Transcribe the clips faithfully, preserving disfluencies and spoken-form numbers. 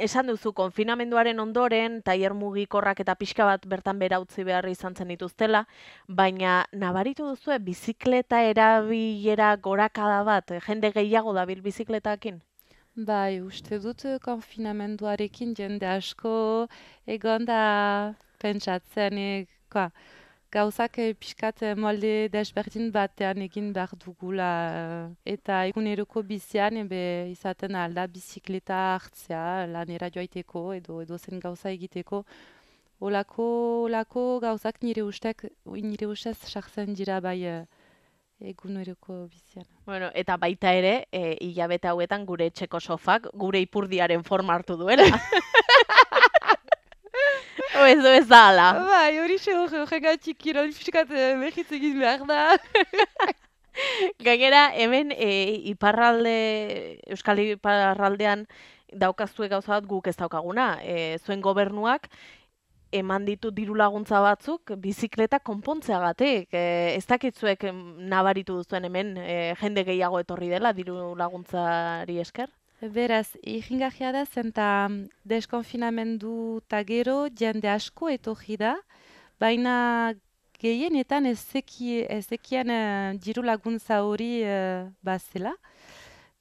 esan duzu, konfinamenduaren ondoren, tailer mugikorrak eta pixka bat bertan bera utzi behar izan zen dituztela, baina nabaritu duzu, bizikleta erabilera gorakada bat, jende gehiago dabil bizikletakin? Bai, uste dut eh, konfinamenduarekin jende asko egon da pentsatzen, eh, koa, gauzak eh, pixkat eh, molde desberdin batean egin behar dugula. eh, Eta eguneroko bizian ebe izaten alda bizikleta hartzea lanera joaiteko edo edo zen gauza egiteko. Olako, olako gauzak nire ustek, nire ustez sartzen dira bai eh, eguneroko bizian. Bueno, eta baita ere, e, hilabete hauetan gure etxeko sofak gure ipurdiaren forma hartu duela. O ez du ez da ala. Bai, hori xe horregatik kirol pixkat behitz egin behar da. Gainera, hemen e, iparralde, Euskal Iparraldean daukazue gauza bat guk ez daukaguna. E, zuen gobernuak eman ditu diru laguntza batzuk bizikleta konpontzeagatik. E, ez dakitzuek em, nabaritu duzuen hemen e, jende gehiago etorri dela diru laguntzari esker? Beraz, irringarria da zen eta deskonfinamendu eta gero jende asko etorri da, baina gehienetan ez zeki- ez zekien eh, diru laguntza hori eh, bazela.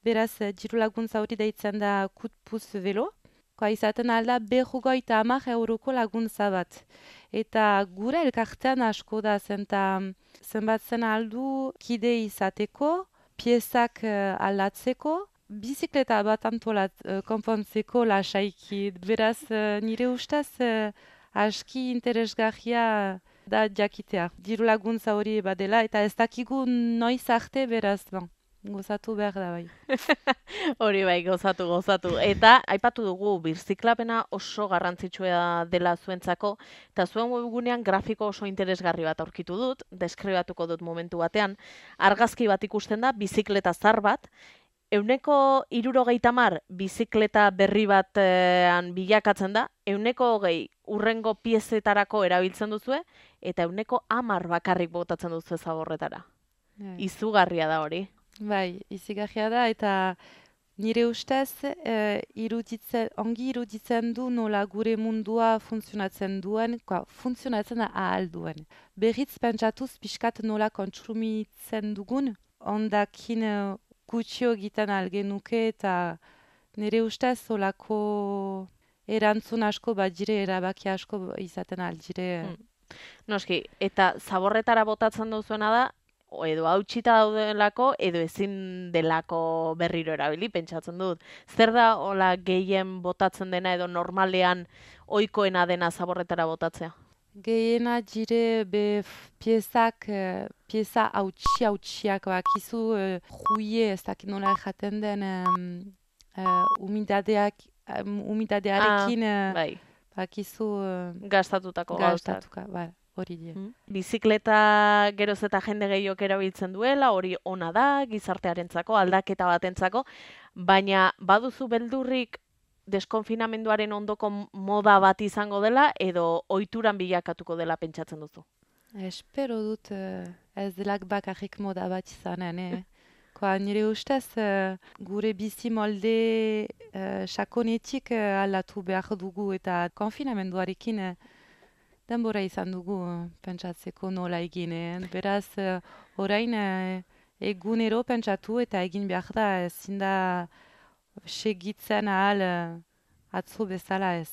Beraz, eh, diru laguntza hori deitzen da kutpuz velo. Koa izaten alda berrogeita hamar euroko laguntza bat. Eta gure elkartean asko da zen eta zenbatzen aldu kide izateko, piezak eh, aldatzeko, bizikleta bat antolat eh, konpontzeko lasaiki. Beraz, eh, nire ustez eh, aski interesgarria da jakitea. Diru laguntza hori badela eta ez dakigu noiz arte beraz, bon, gozatu behar da bai. Hori bai, gozatu, gozatu. Eta aipatu dugu, birziklapena oso garrantzitsua dela zuentzako, eta zuen webgunean grafiko oso interesgarri bat aurkitu dut, deskribatuko dut momentu batean. Argazki bat ikusten da, bizikleta zar bat, euneko hirurogeita hamar bizikleta berri batean bilakatzen da, euneko hogei urrengo piezetarako erabiltzen duzue, eta euneko hamar bakarrik botatzen duzue zaborretara. Bai. Izugarria da hori. Bai, izigarria da eta nire ustez eh, iruditzen, ongi iruditzen du nola gure mundua funtzionatzen duen, koa, funtzionatzen ahal duen. Berriz pentsatuz pixkat nola kontsumitzen dugun, ondakin eh, gutxio egiten algenuke eta nire ustez olako erantzun asko badire, erabaki asko izaten aldire. Mm. Noski, eta zaborretara botatzen duzuena da, o edo hautsita daudelako, edo ezin delako berriro erabili, pentsatzen dut. Zer da hola gehien botatzen dena edo normalean ohikoena dena zaborretara botatzea? Gehiena dire be f- piezak, eh, pieza hautsi hautsiak bakizu, eh, juie ez dakit nola jaten den em, eh, umidadeak, em, umidadearekin eh, Bai, bakizu eh, gastatutako gauzak. gastatuka, bai, hori die. Mm. Bizikleta geroz eta jende gehiok erabiltzen duela, hori ona da, gizartearentzako, aldaketa batentzako, baina baduzu beldurrik deskonfinamenduaren ondoko moda bat izango dela, edo ohituran bilakatuko dela pentsatzen duzu? Espero dut eh, ez delak bakarrik moda bat izanen, eh? Koa, nire ustez eh, gure bizi molde eh, sakonetik eh, aldatu behar dugu eta konfinamenduarekin eh, denbora izan dugu eh, pentsatzeko nola egin. eh. Beraz, eh, orain eh, egunero pentsatu eta egin behar da ezin da segitzen ahal eh, atzo bezala ez.